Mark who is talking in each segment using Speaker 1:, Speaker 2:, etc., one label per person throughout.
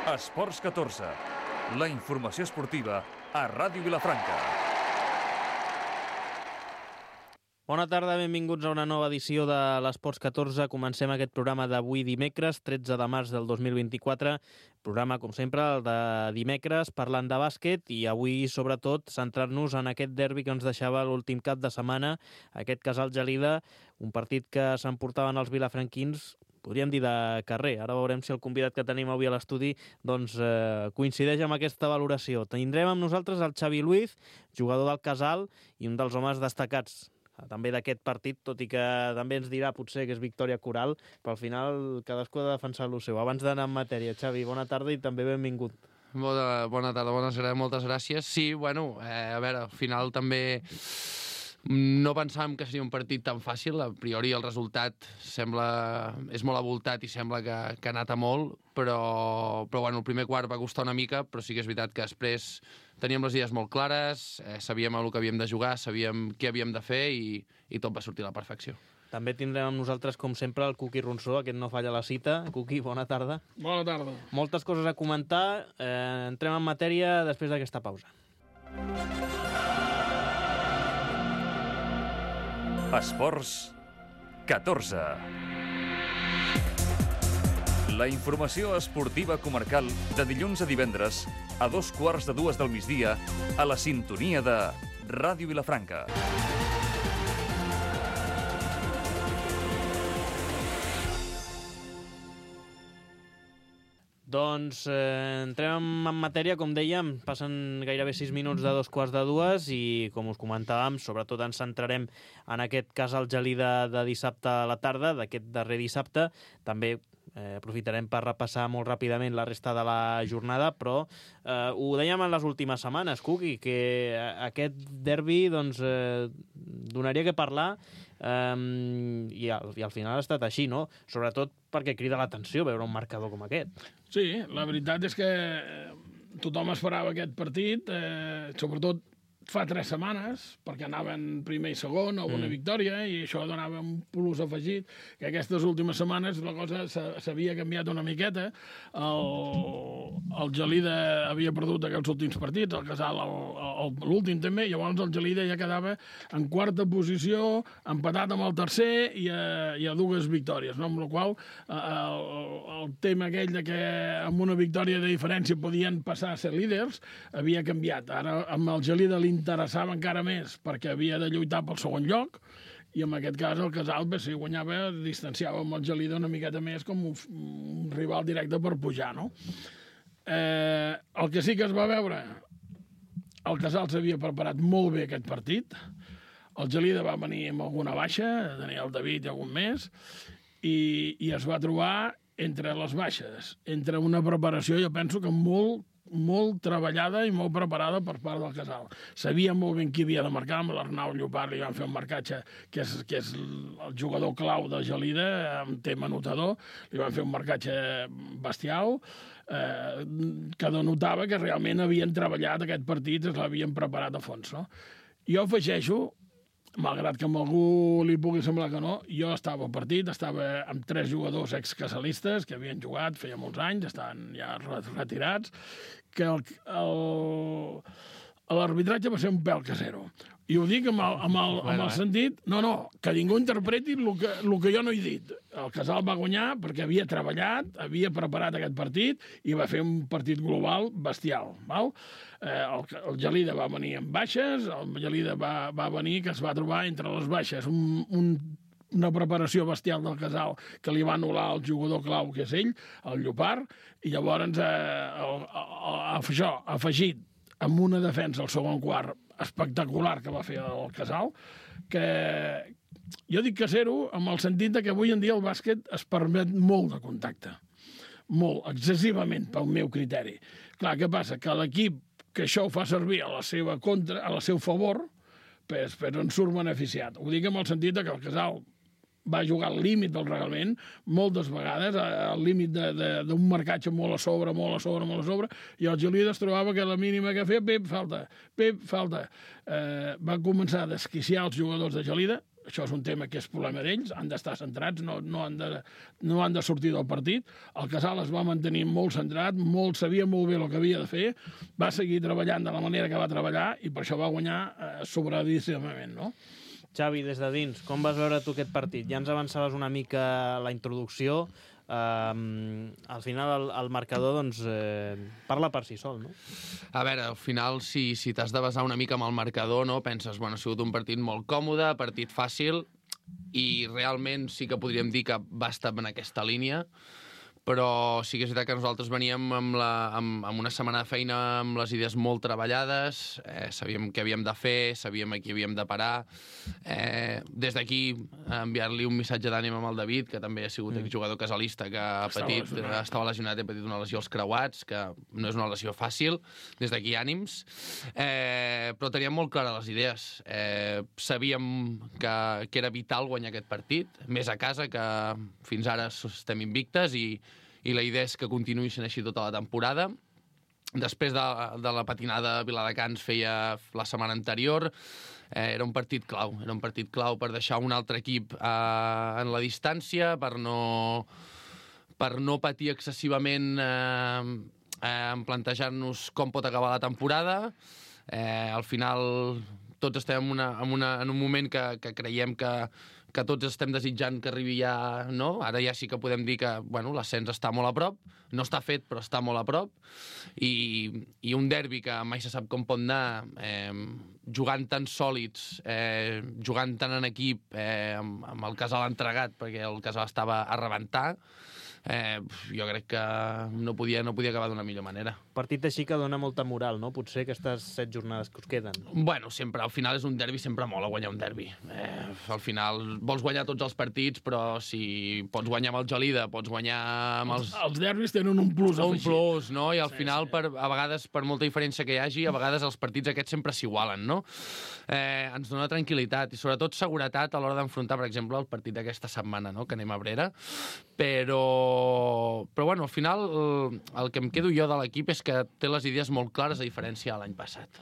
Speaker 1: Esports 14, la informació esportiva a Ràdio Vilafranca.
Speaker 2: Bona tarda, benvinguts a una nova edició de l'Esports 14. Comencem aquest programa d'avui dimecres, 13 de març del 2024. Programa, com sempre, el de dimecres, parlant de bàsquet i avui, sobretot, centrar-nos en aquest derbi que ens deixava l'últim cap de setmana, aquest Casal Gelida, un partit que s'emportaven els vilafranquins, podríem dir de carrer. Ara veurem si el convidat que tenim avui a l'estudi coincideix amb aquesta valoració. Tindrem amb nosaltres el Xavi Luiz, jugador del Casal i un dels homes destacats també d'aquest partit, tot i que també ens dirà potser que és victòria coral, però al final cadascú ha de defensar el seu. Abans d'anar en matèria, Xavi, bona tarda i també benvingut.
Speaker 3: Bona tarda, moltes gràcies. Sí, bueno, a veure, al final també no pensàvem que seria un partit tan fàcil. A priori el resultat és molt avoltat i sembla que ha anat a molt, però bueno, el primer quart va costar una mica, però sí que és veritat que després teníem les idees molt clares, sabíem el que havíem de jugar, sabíem què havíem de fer i tot va sortir a la perfecció.
Speaker 2: També tindrem amb nosaltres, com sempre, el Cuqui Ronsó, aquest no falla la cita. Cuqui, bona tarda.
Speaker 4: Bona tarda.
Speaker 2: Moltes coses a comentar. Entrem en matèria després d'aquesta pausa.
Speaker 1: Esports 14. La informació esportiva comarcal de dilluns a divendres a 2:15 del migdia a la sintonia de Ràdio Vilafranca.
Speaker 2: Doncs entrem en matèria, com dèiem, passen gairebé 6 minuts de 2:15 i, com us comentàvem, sobretot ens centrarem en aquest Casal Gelida de dissabte a la tarda, d'aquest darrer dissabte. També aprofitarem per repassar molt ràpidament la resta de la jornada, però ho dèiem en les últimes setmanes, Cuqui, que aquest derbi donaria que parlar i al final ha estat així, no? Sobretot perquè crida l'atenció veure un marcador com aquest.
Speaker 4: Sí, la veritat és que tothom esperava aquest partit, sobretot fa 3 setmanes, perquè anaven primer i segon a una victòria, i això donava un plus afegit, que aquestes últimes setmanes la cosa s'havia canviat una miqueta. El Gelida havia perdut aquests últims partits, el Casal l'últim també, llavors el Gelida ja quedava en quarta posició, empatat amb el tercer i a 2 victòries, no? Amb la qual el tema aquell de que amb una victòria de diferència podien passar a ser líders havia canviat. Ara amb el Gelida interessava encara més perquè havia de lluitar pel segon lloc i en aquest cas el Casal, si guanyava, distanciava amb el Gelida una miqueta més com un rival directe per pujar, no? El que sí que es va veure, el Casal s'havia preparat molt bé aquest partit, el Gelida va venir amb alguna baixa, tenia el David i algun més, i es va trobar entre les baixes, entre una preparació, jo penso que molt treballada i molt preparada per part del Casal. Sabia molt ben qui havia de marcar, amb l'Arnau Llopart li van fer un marcatge que és el jugador clau de Gelida, amb tema anotador, li van fer un marcatge bestial, que denotava que realment havien treballat aquest partit, es l'havien preparat a fons, no? Jo afegeixo, malgrat que a algú li pugui semblar que no, jo estava al partit, estava amb 3 jugadors excasalistes que havien jugat feia molts anys, estaven ja retirats, que l'arbitratge va ser un pèl casero. I ho dic amb el sentit... No, que ningú interpreti el que jo no he dit. El Casal va guanyar perquè havia treballat, havia preparat aquest partit i va fer un partit global bestial. Val? El Gelida va venir amb baixes, el Gelida va venir que es va trobar entre les baixes una preparació bestial del Casal que li va anul·lar el jugador clau, que és ell, el Llopart, i llavors això, afegit amb una defensa al segon quart espectacular que va fer el Casal, que jo dic casero amb el sentit que avui en dia el bàsquet es permet molt de contacte. Molt, excessivament, pel meu criteri. Clar, què passa? Que l'equip que això ho fa servir a la seva contra, a la seu favor, però en surt beneficiat. Ho dic amb el sentit que el Casal va jugar al límit del reglament moltes vegades, al límit d'un marcatge molt a sobre, i el Gelida es trobava que la mínima que feia, Pep, falta. Va començar a desquiciar els jugadors de Gelida, això és un tema que és problema d'ells, han d'estar centrats, no han de sortir del partit. El Casal es va mantenir molt centrat, sabia molt bé el que havia de fer, va seguir treballant de la manera que va treballar i per això va guanyar sobradíssimament, no?
Speaker 2: Xavi, des de dins, com vas veure tu aquest partit? Ja ens avançaves una mica la introducció. Al final el marcador doncs, parla per si sol, no?
Speaker 3: A veure, al final, si t'has de basar una mica amb el marcador, no? Penses, bueno, ha sigut un partit molt còmode, partit fàcil, i realment sí que podríem dir que va estar en aquesta línia, però sí que és veritat que nosaltres veníem amb una setmana de feina amb les idees molt treballades, sabíem què havíem de fer, sabíem a qui havíem de parar. Des d'aquí, enviar-li un missatge d'ànim amb el David, que també ha sigut exjugador casalista, que estava lesionat i ha patit una lesió als creuats, que no és una lesió fàcil. Des d'aquí, ànims. Però teníem molt clares les idees. Sabíem que era vital guanyar aquest partit, més a casa, que fins ara estem invictes, i la idea és que continuï sent així tota la temporada. Després de la patinada a Viladecans feia la setmana anterior, era un partit clau per deixar un altre equip en la distància, per no patir excessivament en plantejar-nos com pot acabar la temporada. Al final tots estem en un moment que creiem que tots estem desitjant que arribi ja, no? Ara ja sí que podem dir que l'ascens està molt a prop, no està fet però està molt a prop, i un derbi que mai se sap com pot anar, jugant tan sòlids, jugant tan en equip, amb el Casal entregat, perquè el Casal estava a rebentar, jo crec que no podia acabar d'una millor manera.
Speaker 2: Partit així que dona molta moral, no? Potser aquestes 7 jornades que us queden.
Speaker 3: Bueno, sempre, al final és un derbi, sempre mola guanyar un derbi. Al final vols guanyar tots els partits, però si pots guanyar amb el Gelida, pots guanyar amb els...
Speaker 4: Els derbis tenen un plus afegit.
Speaker 3: Un plus, no? I al final, a vegades, per molta diferència que hi hagi, a vegades els partits aquests sempre s'igualen, no? Ens dona tranquil·litat i sobretot seguretat a l'hora d'enfrontar, per exemple, el partit d'aquesta setmana, no? Que anem a Abrera. Però bueno, al final el que em quedo jo de l'equip és que té les idees molt clares a diferència de l'any passat.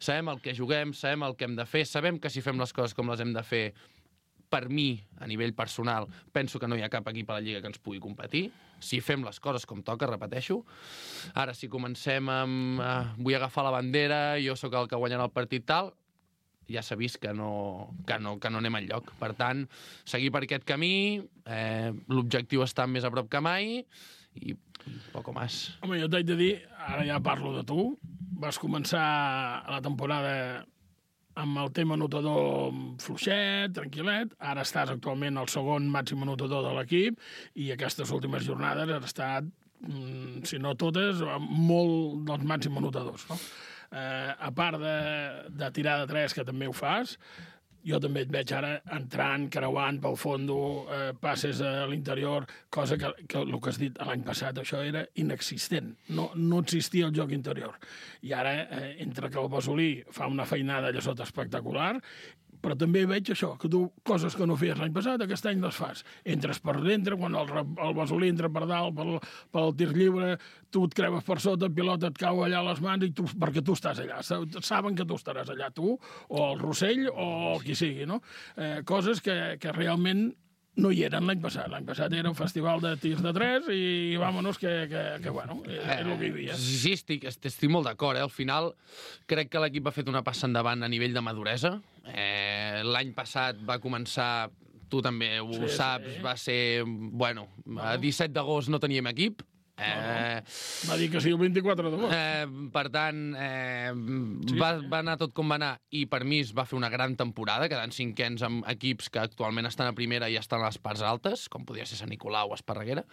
Speaker 3: Sabem el que juguem, sabem el que hem de fer, sabem que si fem les coses com les hem de fer, per mi, a nivell personal, penso que no hi ha cap equip a la Lliga que ens pugui competir. Si fem les coses com toca, repeteixo. Ara, si comencem amb vull agafar la bandera, jo sóc el que guanyarà el partit tal, ja s'ha vist que no anem enlloc. Per tant, seguir per aquest camí, l'objectiu està més a prop que mai, i poco más.
Speaker 4: Home, jo t'haig de dir, ara ja parlo de tu, vas començar la temporada amb el tema anotador fluixet, tranquil·let, ara estàs actualment el segon màxim anotador de l'equip, i aquestes últimes jornades has estat, si no totes, molt dels màxims anotadors, no? A part de tirar de 3, que també ho fas, jo també et veig ara entrant, creuant pel fondo, passes a l'interior, cosa que el que has dit l'any passat, això era inexistent. No existia el joc interior. I ara, entre que el Basolí fa una feinada allà sota espectacular, però també veig això, que tu, coses que no feies l'any passat, aquest any les fas. Entres per dintre, quan el Basolí entra per dalt, pel tir lliure, tu et creves per sota, el pilota et cau allà a les mans, perquè tu estàs allà. Saben que tu estaràs allà, tu, o el Rossell, o el qui sigui, no? Coses que realment no hi eren l'any passat. L'any passat era un festival de tirs de 3 i vámonos, que bueno, és el que hi havia.
Speaker 3: Sí, estic molt d'acord. Al final, crec que l'equip ha fet una passa endavant a nivell de maduresa. L'any passat va començar, tu també ho saps, va ser, bueno, a 17 d'agost no teníem equip.
Speaker 4: Va dir que sí el 24 d'agost.
Speaker 3: Per tant, va anar tot com va anar, i per mi es va fer una gran temporada, quedant cinquens amb equips que actualment estan a primera i estan a les parts altes, com podia ser Sant Nicolau o Esparreguera.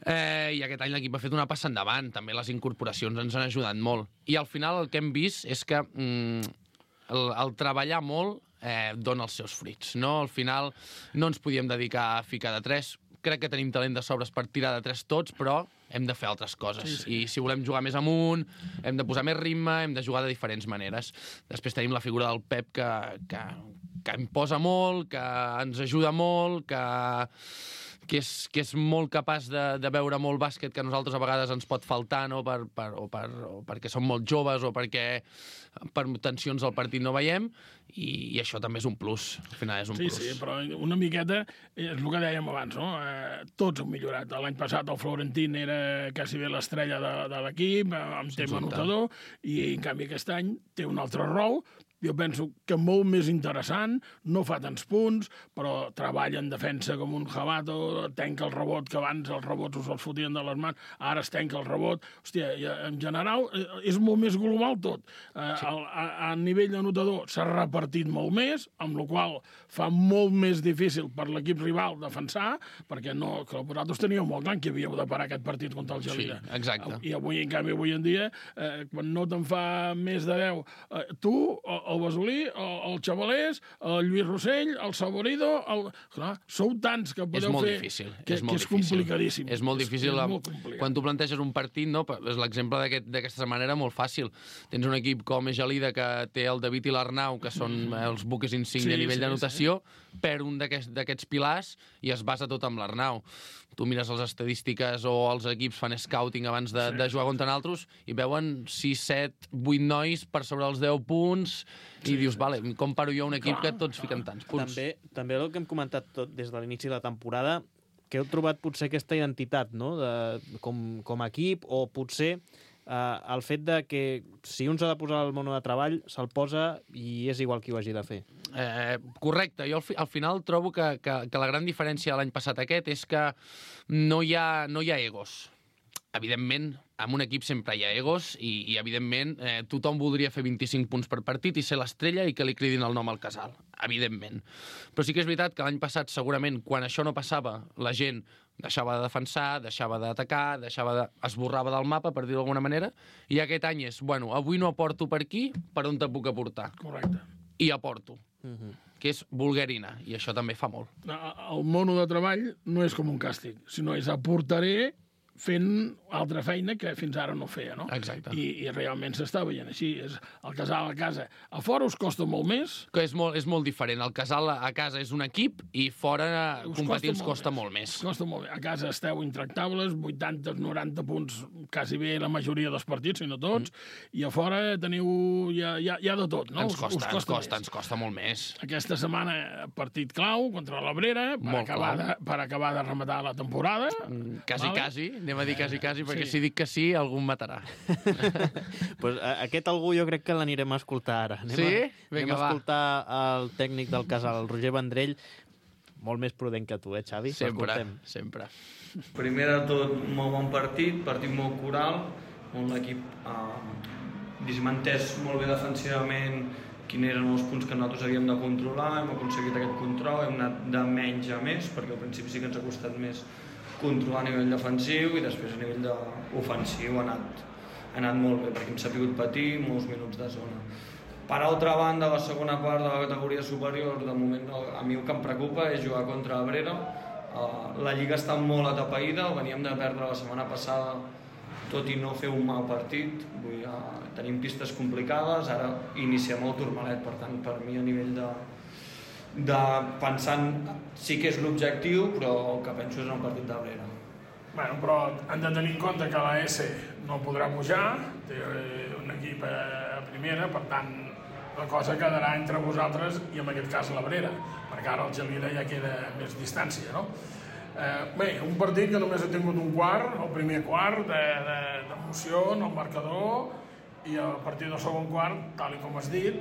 Speaker 3: I aquest any l'equip ha fet una passa endavant, també les incorporacions ens han ajudat molt. I al final el que hem vist és que el treballar molt dona els seus fruits, no? Al final no ens podíem dedicar a ficar de 3. Crec que tenim talent de sobres per tirar de 3 tots, però hem de fer altres coses. Sí. I si volem jugar més amunt, hem de posar més ritme, hem de jugar de diferents maneres. Després tenim la figura del Pep, que imposa molt, que ens ajuda molt, que que és molt capaç de veure molt bàsquet que a nosaltres a vegades ens pot faltar, no? o perquè som molt joves o perquè per tensions al partit no veiem, i això també és un plus, al final és un plus.
Speaker 4: Sí, però una miqueta és el que dèiem abans, no? Tots han millorat. L'any passat el Florentín era quasi bé l'estrella de l'equip, amb tema anotador, i en canvi aquest any té un altre rol. Jo penso que molt més interessant, no fa tants punts, però treballa en defensa com un jabato, tenca el rebot, que abans els rebots us els fotien de les mans, ara es tenca el rebot. Hòstia, en general és molt més global tot. A nivell anotador s'ha repartit molt més, amb la qual fa molt més difícil per l'equip rival defensar, perquè que vosaltres teníeu molt clar que havíeu de parar aquest partit contra el Gelida.
Speaker 3: Sí, exacte.
Speaker 4: I avui, en canvi, avui en dia, quan no te'n fa més de 10, tu, el Basolí, el Xavalés, el Lluís Rossell, el Saborido... Clar, sou tants que podeu fer...
Speaker 3: Difícil,
Speaker 4: que és complicadíssim.
Speaker 3: És molt difícil. Quan tu planteges un partit, no, és l'exemple d'aquesta setmana era molt fàcil. Tens un equip com Gelida que té el David i l'Arnau, que són els buques insígnia a nivell d'anotació, perd un d'aquests pilars i es basa tot amb l'Arnau. Tu mires les estadístiques o els equips fan scouting abans de jugar contra nosaltres i veuen 6, 7, 8 nois per sobre els 10 punts i dius, vale, com paro jo un equip que tots fiquen tants punts?
Speaker 2: També el que hem comentat tot des de l'inici de la temporada, que heu trobat potser aquesta identitat, no?, com a equip, o potser el fet de que si un s'ha de posar al mono de treball, se'l posa i és igual qui ho hagi de fer.
Speaker 3: Correcte. Jo al final trobo que la gran diferència de l'any passat aquest és que no hi ha egos. Evidentment, en un equip sempre hi ha egos i evidentment, tothom voldria fer 25 punts per partit i ser l'estrella i que li cridin el nom al casal. Evidentment. Però sí que és veritat que l'any passat, segurament, quan això no passava, la gent deixava de defensar, deixava d'atacar, esborrava del mapa, per dir-ho d'alguna manera, i aquest any és, bueno, avui no aporto per aquí, per on te puc aportar?
Speaker 4: Correcte.
Speaker 3: I aporto. Que és vulgarina, i això també fa molt.
Speaker 4: El mono de treball no és com un càstig, sinó és aportaré fent altra feina que fins ara no feia, no?
Speaker 3: Exacte.
Speaker 4: I realment s'està veient així. És el casal a casa. A fora us costa molt més.
Speaker 3: Que és molt diferent. El casal a casa és un equip i fora competir ens costa molt més.
Speaker 4: Costa molt més. A casa esteu intractables, 80, 90 punts, quasi bé la majoria dels partits, si no tots, i a fora teniu ja de tot, no?
Speaker 3: Ens costa molt més.
Speaker 4: Aquesta setmana partit clau contra l'Abrera per acabar de rematar la temporada.
Speaker 3: Quasi. Anem a dir quasi, perquè si dic que sí, algú em matarà.
Speaker 2: Pues aquest algú jo crec que l'anirem a escoltar ara. Anem a escoltar el tècnic del casal, el Roger Vendrell, molt més prudent que tu, Xavi?
Speaker 3: Sempre.
Speaker 5: Primer de tot, molt bon partit molt coral, on l'equip ha entès molt bé defensivament quins eren els punts que nosaltres havíem de controlar, hem aconseguit aquest control, hem anat de menys a més, perquè al principi sí que ens ha costat més controlar a nivell defensiu i després a nivell ofensiu ha anat molt bé, perquè hem sabut patir molts minuts de zona. Per altra banda, la segona part de la categoria superior, de moment a mi el que em preocupa és jugar contra Abrera. La lliga està molt atapeïda, veníem de perdre la setmana passada, tot i no fer un mal partit. Tenim pistes complicades, ara iniciem el Turmalet, per tant, per mi a nivell pensant sí que és l'objectiu, però el que penso és en el partit d'Abrera.
Speaker 4: Bueno, però han de tenir en compte que la S no podrà pujar, té un equip a primera, per tant la cosa quedarà entre vosaltres i en aquest cas l'Abrera, perquè ara el Gelida ja queda més distància, no? Bé, un partit que només ha tingut un quart, el primer quart d'emoció en el marcador, i a partir del segon quart, tal com has dit,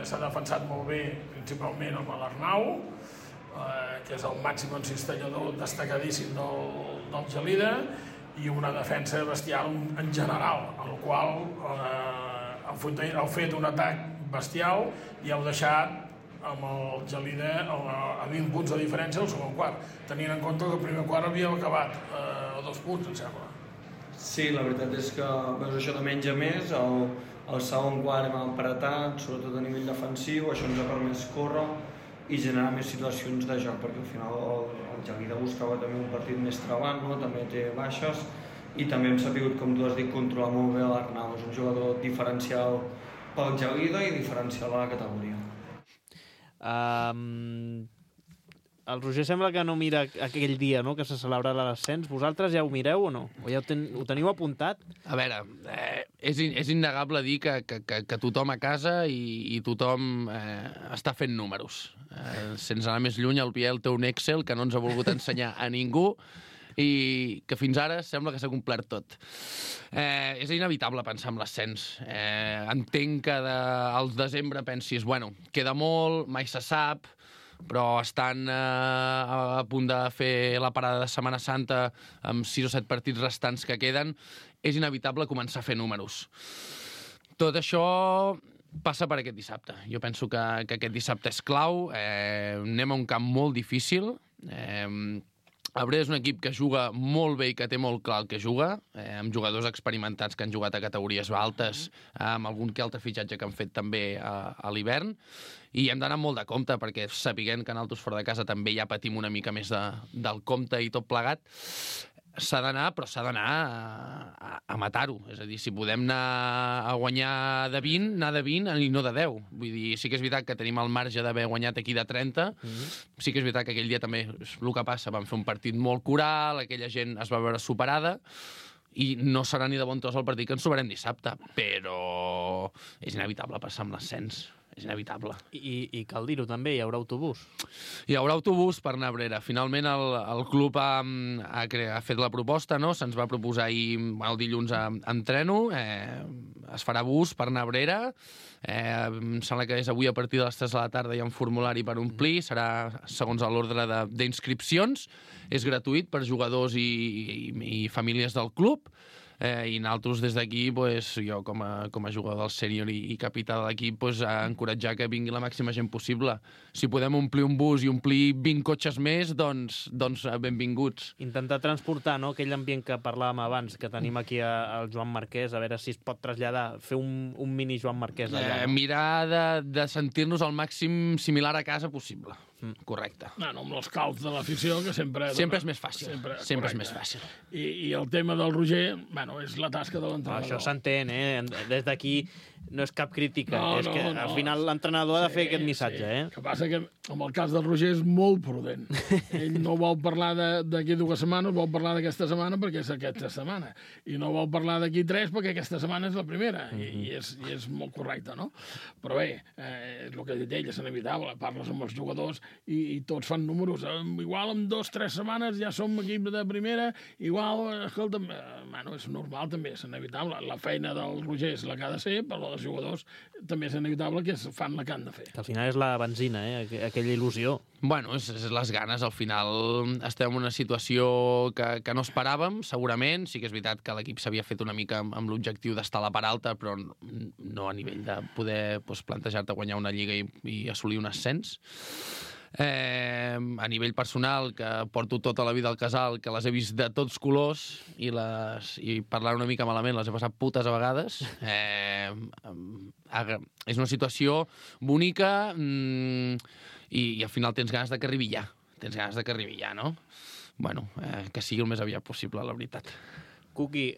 Speaker 4: s'ha defensat molt bé, principalment amb l'Arnau, que és el màxim encistellador destacadíssim del Gelida, i una defensa bestial en general, el qual heu fet un atac bestial i heu deixat amb el Gelida a 20 punts de diferència al segon quart, tenint en compte que el primer quart havíeu acabat a 2 punts, em sembla.
Speaker 5: Sí, la veritat és que veus això de menys a més, el segon quart hem apretat, sobretot a nivell defensiu, això ens ha permès córrer i generar més situacions de joc, perquè al final el Gelida buscava també un partit més trebant, no? També té baixes, i també hem sabut, com tu has dit, controlar molt bé l'Arnau, és un jugador diferencial pel Gelida i diferencial a la categoria.
Speaker 2: el Roger sembla que no mira aquell dia, no?, que se celebra l'ascens. Vosaltres ja ho mireu o no? O ja ho teniu apuntat?
Speaker 3: A veure, és innegable dir que tothom a casa i tothom està fent números. Sense anar més lluny, el Biel té un Excel que no ens ha volgut ensenyar a ningú i que fins ara sembla que s'ha complert tot. És inevitable pensar en l'ascens. Entenc que al desembre pensis, bueno, queda molt, mai se sap, però estan a punt de fer la parada de Setmana Santa amb 6 o 7 partits restants que queden, és inevitable començar a fer números. Tot això passa per aquest dissabte. Jo penso que aquest dissabte és clau. Anem a un camp molt difícil. Abrera és un equip que juga molt bé i que té molt clar el que juga, amb jugadors experimentats que han jugat a categories altes, amb algun que altre fitxatge que han fet també a l'hivern, i hem d'anar molt de compte, perquè sapiguent que nosaltres fora de casa també ja patim una mica més del compte i tot plegat, s'ha d'anar, però s'ha d'anar a matar-ho. És a dir, si podem anar a guanyar de 20, anar de 20 i no de 10. Vull dir, sí que és veritat que tenim el marge d'haver guanyat aquí de 30, sí que és veritat que aquell dia també és el que passa, vam fer un partit molt coral, aquella gent es va veure superada, i no serà ni de bon tros el partit que ens trobarem dissabte, però és inevitable passar amb l'ascens. És inevitable.
Speaker 2: I cal dir-ho també, hi haurà autobús.
Speaker 3: Hi haurà autobús per anar a Abrera. Finalment el club ha fet la proposta, no? Se'ns va proposar ahir, el dilluns entreno, es farà bus per anar a Abrera, em sembla que és avui a partir de les 3 de la tarda hi ha un formulari per omplir, serà segons l'ordre d'inscripcions, és gratuït per jugadors i famílies del club, i nosaltres des d'aquí, jo com a jugador del sènior i capità de l'equip, encoratjar que vingui la màxima gent possible. Si podem omplir un bus i omplir 20 cotxes més, doncs benvinguts.
Speaker 2: Intentar transportar, no?, aquell ambient que parlàvem abans, que tenim aquí al Joan Marquès, a veure si es pot traslladar, fer un mini Joan Marquès allà. No?
Speaker 3: Mirar de sentir-nos al màxim similar a casa possible. Correcte.
Speaker 4: No, amb els calts de l'afició, que sempre
Speaker 3: és més fàcil. Sempre és més fàcil.
Speaker 4: I el tema del Roger, és la tasca de l'entrenador.
Speaker 2: Això s'entén, Des d'aquí no és cap crítica. És que al final l'entrenador ha de fer aquest missatge,
Speaker 4: El que passa que amb el cas del Roger és molt prudent. Ell no vol parlar d'aquí 2 setmanes, vol parlar d'aquesta setmana perquè és aquesta setmana. I no vol parlar d'aquí 3 perquè aquesta setmana és la primera. I és molt correcte, no? Però bé, és el que ha dit ell, és inevitable. Parles amb els jugadors i tots fan números. Igual en 2 o 3 setmanes ja som equip de primera, igual, escolta'm, és normal també, és inevitable. La feina del Roger és la que ha de ser, però els jugadors també és inevitable que fan la que han de fer.
Speaker 2: Que al final és la benzina, aquella il·lusió.
Speaker 3: Bueno, és les ganes. Al final estem en una situació que no esperàvem, segurament. Sí que és veritat que l'equip s'havia fet una mica amb l'objectiu d'estar a la part alta, però no a nivell de poder plantejar-te guanyar una lliga i assolir un ascens. A nivell personal, que porto tota la vida al casal, que les he vist de tots colors i parlant una mica malament les he passat putes a vegades, és una situació bonica i al final tens ganes de que arribi ja. No? Bueno, que sigui el més aviat possible, la veritat.
Speaker 2: Cuqui,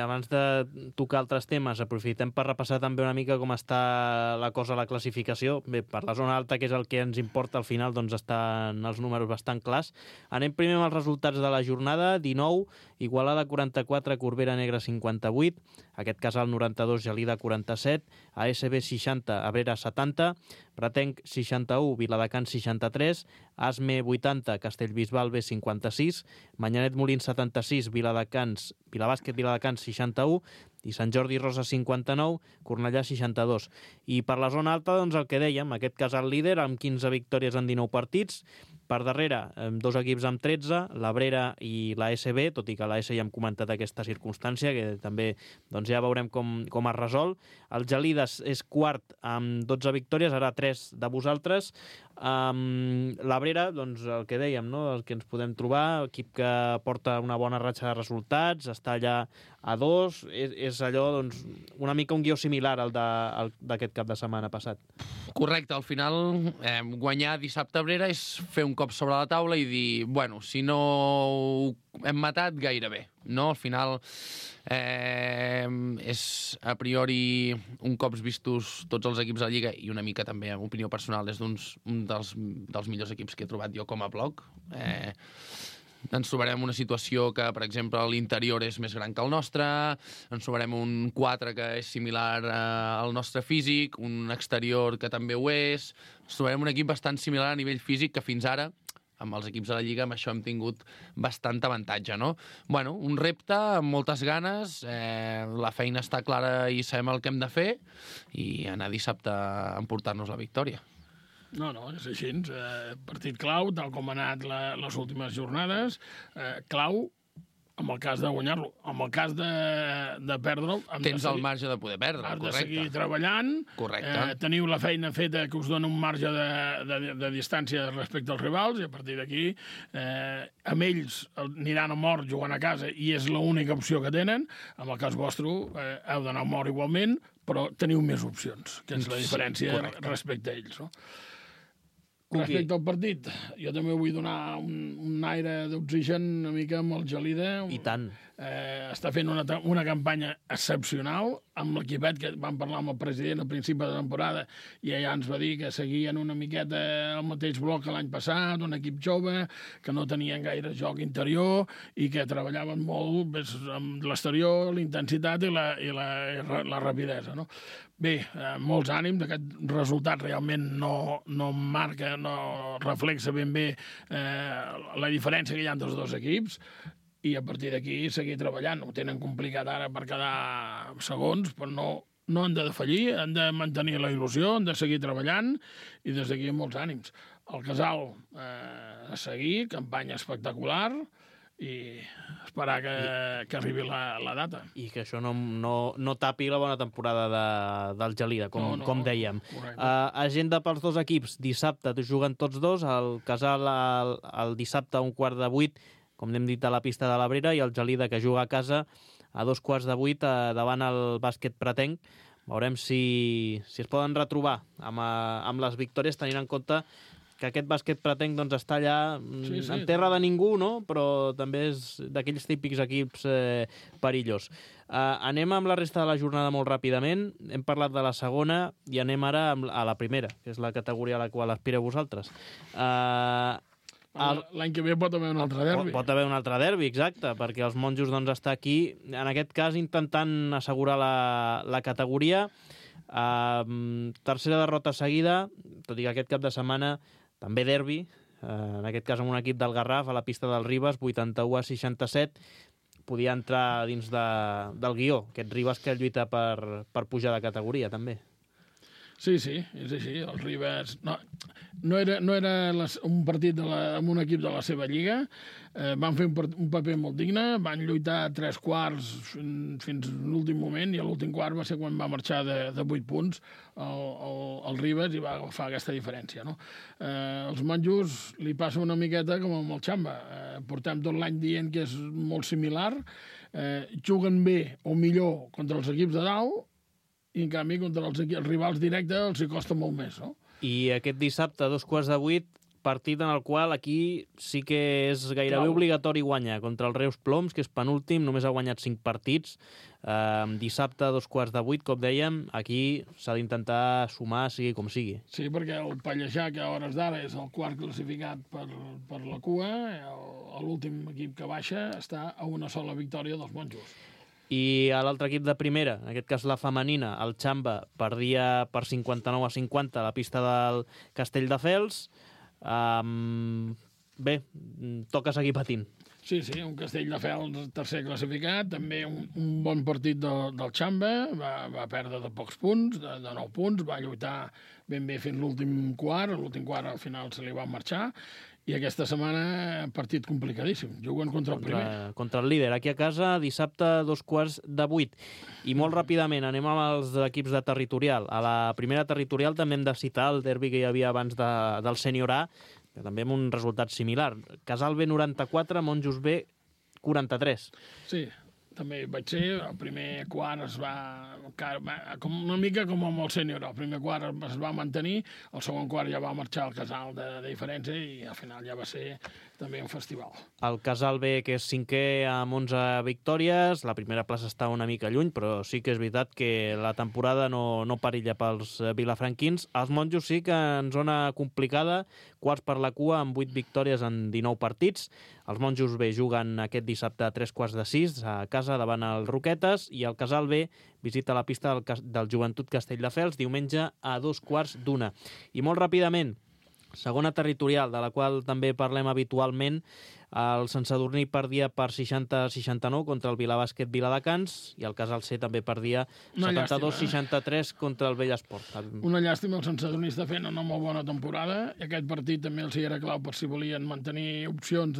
Speaker 2: abans de tocar altres temes, aprofitem per repassar també una mica com està la cosa a la classificació. Bé, per la zona alta, que és el que ens importa al final, doncs estan els números bastant clars. Anem primer amb els resultats de la jornada. 19, Igualada 44, Corbera Negra 58, aquest Casal 92, Gelida 47, ASB 60, Abrera 70, Pratenc 61, Viladecans 63, Asme 80, Castellbisbal B 56, Manyanet Molins 76, Vilabàsquet Viladecans 61 i Sant Jordi Rosa 59, Cornellà 62. I per la zona alta, doncs el que dèiem, aquest Casal líder amb 15 victòries en 19 partits. Per darrere, 2 equips amb 13, l'Abrera i l'ASB, tot i que l'AS ja hem comentat aquesta circumstància, que també doncs ja veurem com es resol. El Gelides és quart amb 12 victòries, ara 3 de vosaltres. L'Abrera, doncs el que dèiem, no? El que ens podem trobar, equip que porta una bona ratxa de resultats, està allà a 2, és allò, doncs, una mica un guió similar al d'aquest cap de setmana passat.
Speaker 3: Correcte, al final guanyar dissabte a Abrera és fer un cops sobre la taula i dir, bueno, si no ho hem matat, gairebé. No? Al final és a priori un cops vistos tots els equips de la Lliga i una mica també, en opinió personal, és un dels millors equips que he trobat jo com a bloc. Ens trobarem una situació que, per exemple, l'interior és més gran que el nostre, ens trobarem un 4 que és similar al nostre físic, un exterior que també ho és, ens trobarem un equip bastant similar a nivell físic que fins ara, amb els equips de la Lliga, amb això hem tingut bastant avantatge, no? Bueno, un repte amb moltes ganes, la feina està clara i sabem el que hem de fer i anar dissabte a emportar-nos la victòria.
Speaker 4: No, és així. Partit clau, tal com ha anat les últimes jornades. Clau, en el cas de guanyar-lo. En el cas de perdre'l...
Speaker 3: Tens el marge de poder perdre, correcte.
Speaker 4: Has de seguir treballant.
Speaker 3: Correcte.
Speaker 4: Teniu la feina feta que us dona un marge de distància respecte als rivals i a partir d'aquí amb ells aniran a mort jugant a casa i és l'única opció que tenen. En el cas vostre heu d'anar a mort igualment, però teniu més opcions, que és la diferència respecte a ells, no? Respecte al partit, jo també vull donar un aire d'oxigen una mica amb el Gelida.
Speaker 2: I tant.
Speaker 4: Està fent una campanya excepcional amb l'equipet que vam parlar amb el president al principi de la temporada i ella ens va dir que seguien una miqueta el mateix bloc que l'any passat, un equip jove, que no tenien gaire joc interior i que treballaven molt amb l'exterior, l'intensitat i la rapidesa, no? Bé, molts ànims, aquest resultat realment no marca, no reflexa ben bé la diferència que hi ha entre els dos equips i a partir d'aquí seguir treballant. Ho tenen complicat ara per quedar segons, però no han de defallir, han de mantenir la il·lusió, han de seguir treballant i des d'aquí molts ànims. El Casal a seguir, campanya espectacular i esperar que arribi la data.
Speaker 2: I que això no tapi la bona temporada del Gelida, com dèiem. Agenda pels dos equips. Dissabte juguen tots dos, el Casal el dissabte a 7:15, com hem dit, a la pista de l'Abrera, i el Gelida, que juga a casa, a 7:15 davant el bàsquet pretenc. Veurem si es poden retrobar amb les victòries, tenint en compte que aquest bàsquet pretenc està allà en terra de ningú, no? Però també és d'aquells típics equips perillos. Anem amb la resta de la jornada molt ràpidament. Hem parlat de la segona i anem ara a la primera, que és la categoria a la qual aspireu vosaltres.
Speaker 4: L'any que ve pot haver un altre derbi.
Speaker 2: Pot haver un altre derbi, exacte, perquè els monjos està aquí, en aquest cas intentant assegurar la categoria. Tercera derrota seguida, tot i que aquest cap de setmana també derbi, en aquest cas amb un equip del Garraf a la pista del Ribes, 81-67, podia entrar dins del guió, aquest Ribes que lluita per pujar de categoria també.
Speaker 4: Sí, és així. El Ribes no era un partit amb un equip de la seva lliga. Van fer un paper molt digne, van lluitar 3 quarts fins l'últim moment i l'últim quart va ser quan va marxar de 8 punts el Ribes i va agafar aquesta diferència, no? Els monjos li passa una miqueta com amb el Xamba. Portem tot l'any dient que és molt similar. Juguen bé o millor contra els equips de dalt i, en canvi, contra els rivals directes els hi costa molt més, no?
Speaker 2: I aquest dissabte, a 7:15, partit en el qual aquí sí que és gairebé obligatori guanyar contra el Reus Ploms, que és penúltim, només ha guanyat 5 partits. Dissabte, a 7:15, com dèiem, aquí s'ha d'intentar sumar, sigui com sigui.
Speaker 4: Sí, perquè el Pallejà, que a hores d'ara és el quart classificat per la cua, l'últim equip que baixa està a una sola victòria dels monjos.
Speaker 2: I a l'altre equip de primera, en aquest cas la femenina, el Xamba, perdia per 59-50 a la pista del Castelldefels. Bé, toca seguir patint.
Speaker 4: Sí, un Castelldefels tercer classificat, també un bon partit del Xamba, va perdre de pocs punts, de 9 punts, va lluitar ben bé fins l'últim quart al final se li va marxar, i aquesta setmana partit complicadíssim, juguen contra el primer.
Speaker 2: Contra el líder, aquí a casa, dissabte a 7:15. I molt ràpidament anem amb els equips de territorial. A la primera territorial també hem de citar el derbi que hi havia abans del Sènior A, que també amb un resultat similar. Casal B 94, Monjos B 43.
Speaker 4: Sí, també hi vaig ser. El primer quart es va... una mica com amb el sènior. El primer quart es va mantenir, el segon quart ja va marxar al Casal de diferència i al final ja va ser també un festival.
Speaker 2: El Casal B, que és 5è amb 11 victòries, la primera plaça està una mica lluny, però sí que és veritat que la temporada no perilla pels vilafranquins. Els monjos sí que en zona complicada, quarts per la cua amb 8 victòries en 19 partits. Els monjos B juguen aquest dissabte a 3:45 a casa davant el Roquetes i el Casal B visita la pista del Joventut Castelldefels diumenge a 2:15. I molt ràpidament, segona territorial, de la qual també parlem habitualment, el Sant Sadurní perdia per 60-69 contra el Vilabàsquet Viladecans i el Casal C també perdia 72-63 contra el Vellesport.
Speaker 4: Una llàstima, el Sant Sadurní està fent una molt bona temporada i aquest partit també els hi era clau per si volien mantenir opcions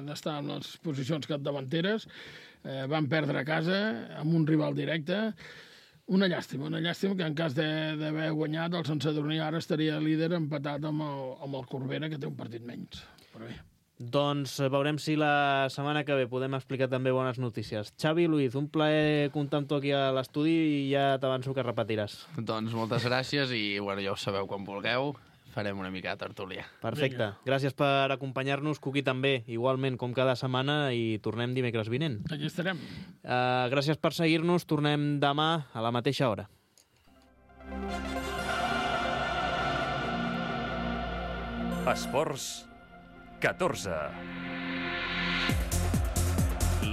Speaker 4: d'estar en les posicions capdavanteres. Van perdre a casa amb un rival directe. Una llàstima que en cas d'haver guanyat el Sant Sadurní ara estaria líder empatat amb el Corbera, que té un partit menys. Però bé.
Speaker 2: Doncs veurem si la setmana que ve podem explicar també bones notícies. Xavi, Luis, un plaer comptar amb tu aquí a l'estudi i ja t'avanço que repetiràs.
Speaker 3: Doncs moltes gràcies i bueno, ja ho sabeu quan vulgueu. Farem una mica de tertúlia.
Speaker 2: Perfecte. Vinga. Gràcies per acompanyar-nos, Cuqui també, igualment com cada setmana, i tornem dimecres vinent.
Speaker 4: Aquí estarem.
Speaker 2: Gràcies per seguir-nos, tornem demà a la mateixa hora.
Speaker 1: Esports 14.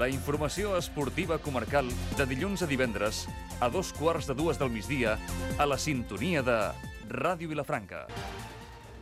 Speaker 1: La informació esportiva comarcal de dilluns a divendres a 2:15 del migdia a la sintonia de Ràdio Vilafranca.